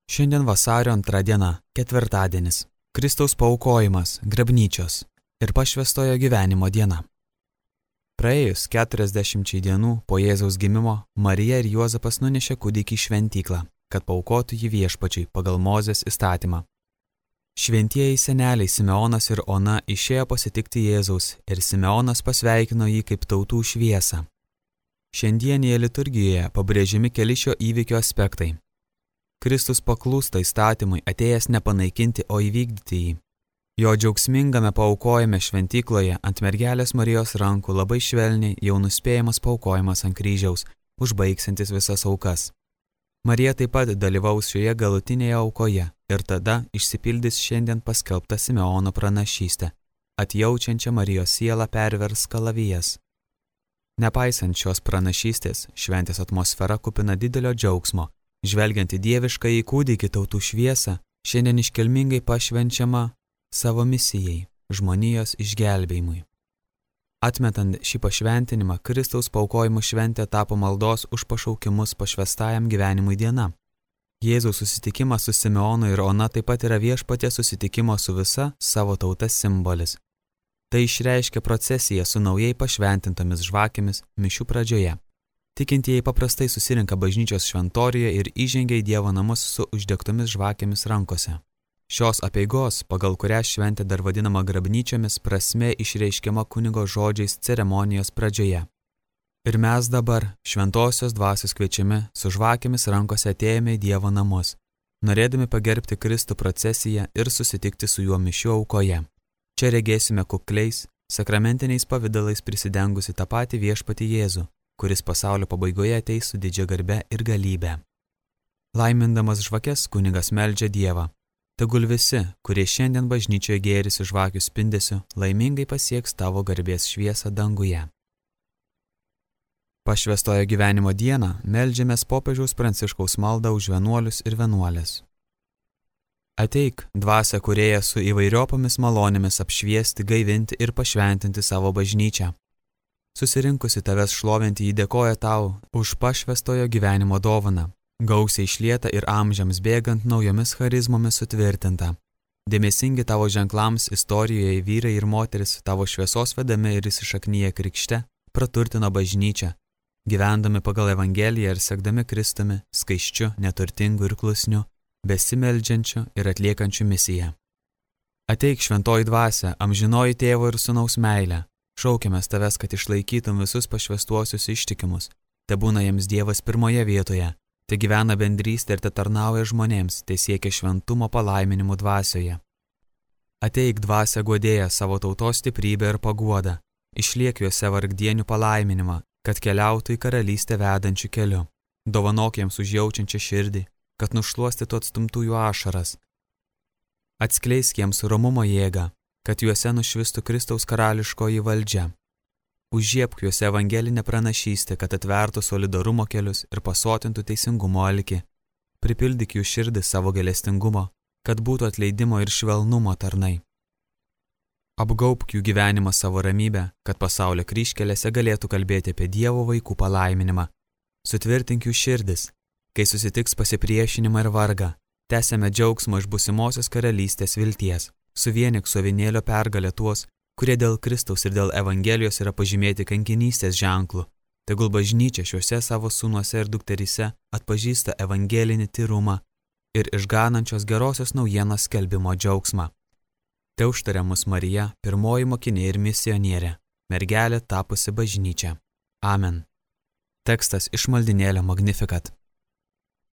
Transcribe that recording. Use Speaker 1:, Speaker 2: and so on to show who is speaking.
Speaker 1: Šiandien vasario 2 diena, ketvirtadienis. Kristaus paaukojimas, grabnyčios ir pašvęstojo gyvenimo diena. Praėjus 40 dienų po Jėzaus gimimo, Marija ir Juozapas nunešė kūdikį į šventyklą, kad paaukotų jį Viešpačiui pagal Mozės įstatymą. Šventieji seneliai Simeonas ir Ona išėjo pasitikti Jėzaus ir Simeonas pasveikino jį kaip tautų šviesą. Šiandienėje liturgijoje pabrėžiami keli šio įvykio aspektai. Kristus paklūsta įstatymui, atėjęs nepanaikinti, o įvykdyti jį. Jo džiaugsmingame paaukojime šventykloje ant mergelės Marijos rankų labai švelniai jau nuspėjamas paaukojimas ant kryžiaus, užbaigsiantis visas aukas. Marija taip pat dalyvaus šioje galutinėje aukoje ir tada išsipildys šiandien paskelbta Simeono pranašystė, atjaučiančia Marijos sielą pervers kalavijas. Nepaisant šios pranašystės, šventės atmosfera kupina didelio džiaugsmo. Žvelgiant į dieviškąjį kūdikį tautų šviesą, šiandien iškilmingai pašvenčiama savo misijai, žmonijos išgelbėjimui. Atmetant šį pašventinimą, Kristaus paaukojimo šventė tapo maldos už pašaukimus pašvęstajam gyvenimui diena. Jėzaus susitikimas su Simeonu ir Ona taip pat yra Viešpaties susitikimo su visa savo tauta simbolis. Tai išreiškia procesiją su naujai pašventintomis žvakėmis mišių pradžioje. Tikintieji paprastai susirinka bažnyčios šventorijoje ir įžengia į Dievo namus su uždegtomis žvakėmis rankose. Šios apeigos, pagal kurią šventė dar vadinama grabnyčiomis, prasmė išreiškiama kunigo žodžiais ceremonijos pradžioje. Ir mes dabar, šventosios dvasios kviečiami, su žvakėmis rankose atėjome į Dievo namus, norėdami pagerbti Kristų procesiją ir susitikti su juo mišių aukoje. Čia regėsime kukliais, sakramentiniais pavidalais prisidengusi tą patį Viešpatį Jėzų, kuris pasaulio pabaigoje ateis su didžia garbe ir galybe. Laimindamas žvakes, kunigas meldžia Dievą. Tegul visi, kurie šiandien bažnyčioje gėrisi žvakių spindesiu, laimingai pasieks tavo garbės šviesą danguje. Pašvęstojo gyvenimo dieną meldžiamės popiežiaus Pranciškaus maldą už vienuolius ir vienuolės. Ateik, dvasia kūrėja su įvairiopomis malonėmis apšviesti, gaivinti ir pašventinti savo bažnyčią. Susirinkusi tavęs šlovinti jį dėkoja tau už pašvęstojo gyvenimo dovaną, gausiai išlieta ir amžiams bėgant naujomis charizmomis sutvirtinta. Dėmesingi tavo ženklams istorijoje vyrai ir moteris tavo šviesos vedami ir įsišaknyje krikšte praturtino bažnyčią, gyvendami pagal Evangeliją ir sekdami Kristumi, skaisčiu, neturtingu ir klusniu, besimeldžiančiu ir atliekančiu misiją. Ateik šventoji dvasia, amžinoji tėvo ir sūnaus meilė. Šaukiamės tavęs, kad išlaikytum visus pašvęstuosius ištikimus. Te būna jiems Dievas pirmoje vietoje, te gyvena bendrystė ir te tarnauja žmonėms, te siekia šventumo palaiminimų dvasioje. Ateik dvasia guodėja savo tautos stiprybę ir paguodą, išliek juose vargdienių palaiminimą, kad keliautų į karalystę vedančių keliu. Dovanok jiems užjaučiančią širdį, kad nušluostytų atstumtųjų ašaras. Atskleisk jiems romumo jėgą, kad juose nušvistų Kristaus karališkoji valdžia. Užžiebk juose evangelinę pranašystę, kad atvertų solidarumo kelius ir pasotintų teisingumo alkį. Pripildyk jų širdį savo gailestingumo, kad būtų atleidimo ir švelnumo tarnai. Apgaubk jų gyvenimą savo ramybę, kad pasaulio kryžkelėse galėtų kalbėti apie Dievo vaikų palaiminimą. Sutvirtink jų širdis, kai susitiks pasipriešinimą ir vargą, tęsiame džiaugsmo iš būsimosios karalystės vilties. Suvienik su avinėlio pergalę tuos, kurie dėl Kristaus ir dėl Evangelijos yra pažymėti kankinystės ženklu. Tegul bažnyčia šiuose savo sūnuose ir dukteryse atpažįsta evangelinį tyrumą ir išganančios gerosios naujienos skelbimo džiaugsmą. Te užtaria mus Marija, pirmoji mokinė ir misionierė, mergelė tapusi bažnyčia. Amen. Tekstas iš maldynėlio Magnificat.